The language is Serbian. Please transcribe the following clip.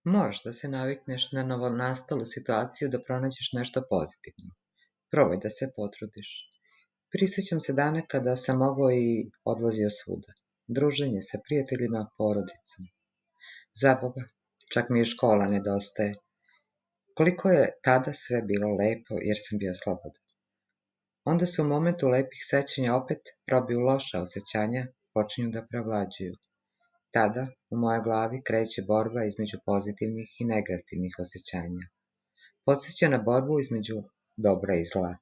Moraš da se navikneš na novonastalu situaciju da pronađeš nešto pozitivno. Probaj da se potrudiš. Prisjećam se dana kada sam mogao i odlazio svuda. Druženje sa prijateljima, porodicom. Zaboga, čak mi i škola nedostaje. Koliko je tada sve bilo lepo jer sam bio slobodan. Onda se u momentu lepih sećanja opet probiju loša osjećanja, počinju da prevlađuju. Tada u mojoj glavi kreće borba između pozitivnih i negativnih osjećanja. Podsjeća na borbu između dobra i zla.